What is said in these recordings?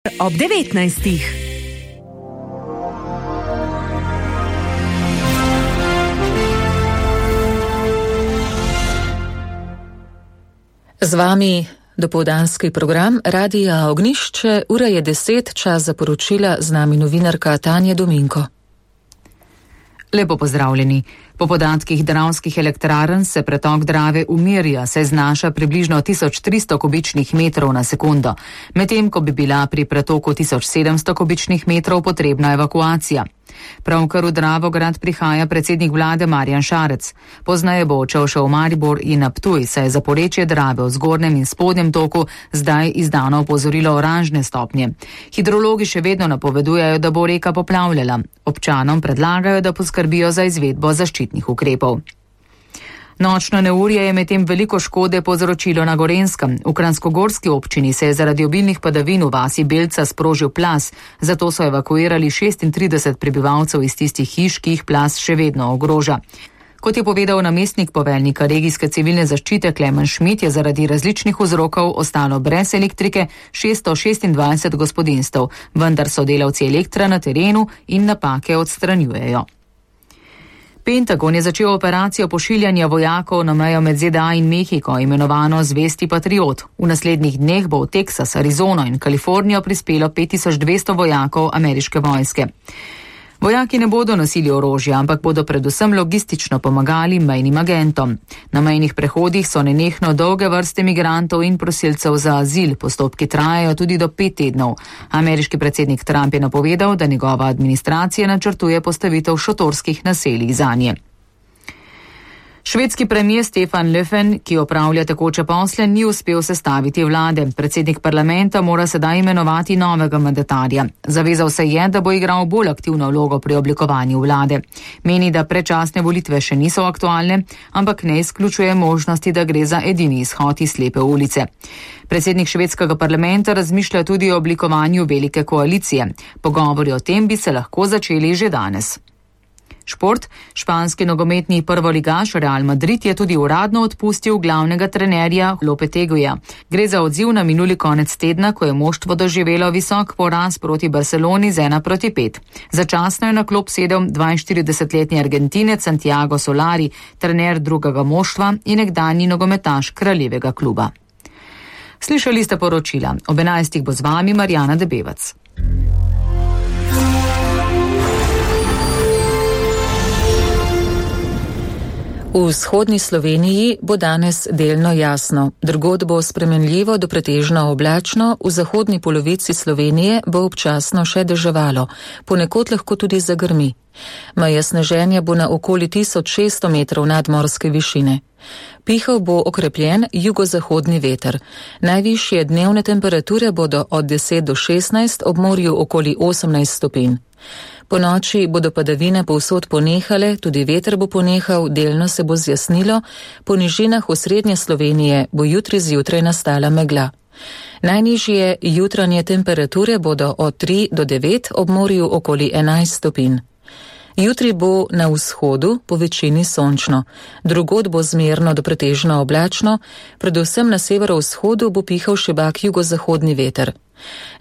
ob 19. Z vami dopoldanski program Radija Ognjišče, ura je 10, čas za poročila, z nami novinarka Tanja Dominko. Lepo pozdravljeni. Po podatkih Dravskih elektrarn se pretok Drave umirja, saj znaša približno 1300 kubičnih metrov na sekundo, medtem ko bi bila pri pretoku 1700 kubičnih metrov potrebna evakuacija. Pravkar v Dravograd prihaja predsednik vlade Marjan Šarec. Poznaje bo odšel še v Maribor in na Ptuj, saj je za porečje Drave v zgornjem in spodnjem toku zdaj izdano opozorilo oranžne stopnje. Hidrologi še vedno napovedujejo, da bo reka poplavljala. Občanom predlagajo, da poskrbijo za izvedbo zaščitnih ukrepov. Nočno neurje je medtem veliko škode povzročilo na Gorenjskem. V Kranjskogorski občini se je zaradi obilnih padavin v vasi Belca sprožil plaz, zato so evakuirali 36 prebivalcev iz tistih hiš, ki jih plaz še vedno ogroža. Kot je povedal namestnik poveljnika regijske civilne zaščite Klemen Šmit, je zaradi različnih vzrokov ostalo brez elektrike 626 gospodinjstev, vendar so delavci Elektra na terenu in napake odstranjujejo. Pentagon je začel operacijo pošiljanja vojakov na mejo med ZDA in Mehiko, imenovano Zvesti patriot. V naslednjih dneh bo v Teksas, Arizono in Kalifornijo prispelo 5200 vojakov ameriške vojske. Vojaki ne bodo nosili orožja, ampak bodo predvsem logistično pomagali mejnim agentom. Na mejnih prehodih so nenehno dolge vrste migrantov in prosilcev za azil, postopki trajajo tudi do 5 tednov. Ameriški predsednik Trump je napovedal, da njegova administracija načrtuje postavitev šotorskih naselij zanje. Švedski premijer Stefan Löfven, ki opravlja tekoče posle, ni uspel sestaviti vlade. Predsednik parlamenta mora sedaj imenovati novega mandatarja. Zavezal se je, da bo igral bolj aktivno vlogo pri oblikovanju vlade. Meni, da predčasne volitve še niso aktualne, ampak ne izključuje možnosti, da gre za edini izhod iz slepe ulice. Predsednik švedskega parlamenta razmišlja tudi o oblikovanju velike koalicije. Pogovori o tem bi se lahko začeli že danes. Šport. Španski nogometni prvoligaš Real Madrid je tudi uradno odpustil glavnega trenerja Lopeteguja. Gre za odziv na minuli konec tedna, ko je moštvo doživelo visok poraz proti Barceloni z 1-5. Začasno je na klop sedel 42-letni Argentinec Santiago Solari, trener drugega moštva in nekdanji nogometaš kraljevega kluba. Slišali ste poročila. Ob 11. bo z vami Marjana Debevac. V vzhodni Sloveniji bo danes delno jasno, drugod bo spremenljivo do pretežno oblačno, v zahodni polovici Slovenije bo občasno še deževalo, ponekod lahko tudi zagrmi. Meja sneženja bo na okoli 1600 metrov nadmorske višine. Pihal bo okrepljen jugozahodni veter. Najvišje dnevne temperature bodo od 10 do 16, ob morju okoli 18 stopinj. Po noči bodo padavine povsod ponehale, tudi veter bo ponehal, delno se bo zjasnilo, po nižinah v srednje Slovenije bo jutri zjutraj nastala megla. Najnižje jutranje temperature bodo od 3 do 9, ob morju okoli 11 stopinj. Jutri bo na vzhodu po večini sončno, drugod bo zmerno do pretežno oblačno, predvsem na severovzhodu bo pihal šibak jugozahodni veter.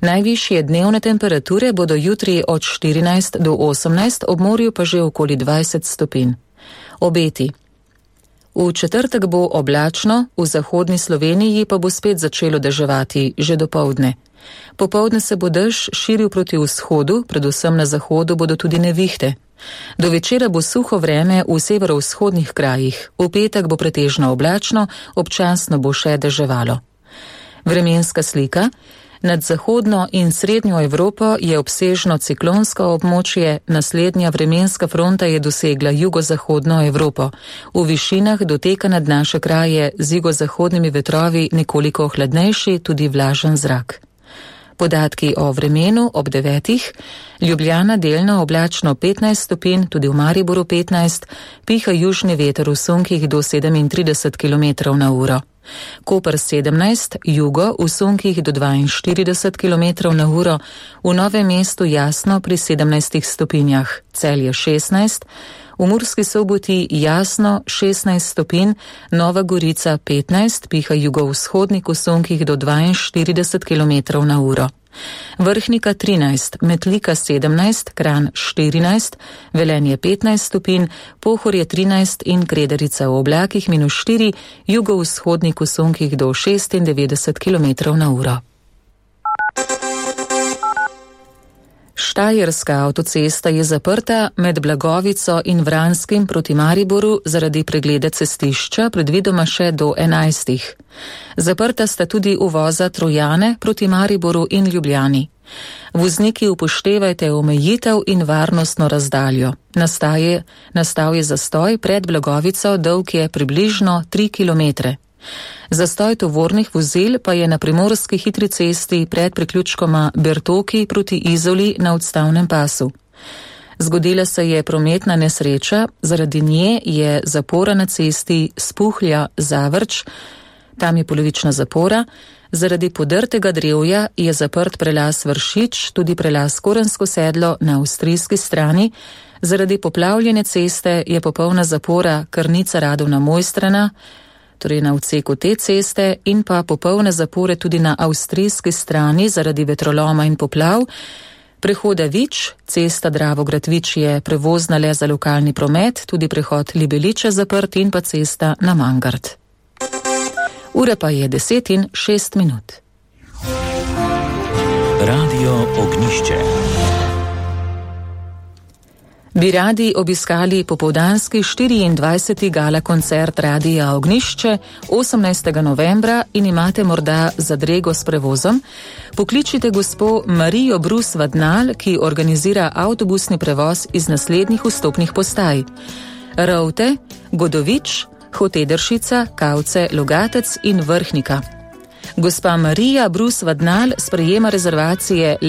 Najvišje dnevne temperature bodo jutri od 14 do 18, ob morju pa že okoli 20 stopinj. Obeti. V četrtek bo oblačno, v zahodni Sloveniji pa bo spet začelo deževati že dopoldne. Popoldne se bo dež širil proti vzhodu, predvsem na zahodu bodo tudi nevihte. Do večera bo suho vreme v severovzhodnih krajih, v petek bo pretežno oblačno, občasno bo še deževalo. Vremenska slika. Nad zahodno in srednjo Evropo je obsežno ciklonsko območje, naslednja vremenska fronta je dosegla jugozahodno Evropo. V višinah doteka nad naše kraje z jugozahodnimi vetrovi nekoliko hladnejši, tudi vlažen zrak. Podatki o vremenu ob 9. Ljubljana delno oblačno 15 stopinj, tudi v Mariboru 15, piha južni veter v sunkih do 37 km na uro. Koper 17, jugo v sunkih do 42 km na uro, v Novem mestu jasno pri 17 stopinjah, Celje 16, v Murski Soboti jasno 16 stopinj, Nova Gorica 15, piha jugovzhodnik v sunkih do 42 km na uro. Vrhnika 13, Metlika 17, Kranj 14, Velenje 15 stopinj, Pohorje 13 in Krederica v oblakih -4, jugovzhodni kosunkih do 96 km/h. Štajerska avtocesta je zaprta med Blagovico in Vranskim proti Mariboru zaradi pregleda cestišča, predvidoma še do 11. Zaprta sta tudi uvoza Trojane proti Mariboru in Ljubljani. Vozniki upoštevajte omejitev in varnostno razdaljo. Nastal je zastoj pred Blagovico, dolg je približno 3 km. Zastoj tovornih vozil pa je na primorski hitri cesti pred priključkoma Bertoki proti Izoli na odstavnem pasu. Zgodila se je prometna nesreča, zaradi nje je zapora na cesti Spuhlja-Zavrč, tam je polovična zapora, zaradi podrtega drevja je zaprt prelaz Vršič, tudi prelaz Korensko sedlo na avstrijski strani, zaradi poplavljene ceste je popolna zapora Krnica-Radovna-Mojstrana, torej na odseku te ceste, in pa popolne zapore tudi na avstrijski strani zaradi vetroloma in poplav. Prehoda Vič, cesta Dravograd-Vič je prevozna le za lokalni promet, tudi prehod Libeliče zaprt in pa cesta na Mangard. Ura pa je 10:06. Radio Ognjišče. Bi radi obiskali popoldanski 24. gala koncert Radia Ognjišče 18. novembra in imate morda zadrego s prevozom? Pokličite gospo Marijo Brus Vadnal, ki organizira avtobusni prevoz iz naslednjih vstopnih postaj: Rovte, Godovič, Hotederšica, Kavce, Logatec in Vrhnika. Gospa Marija Brus Vadnal sprejema rezervacije le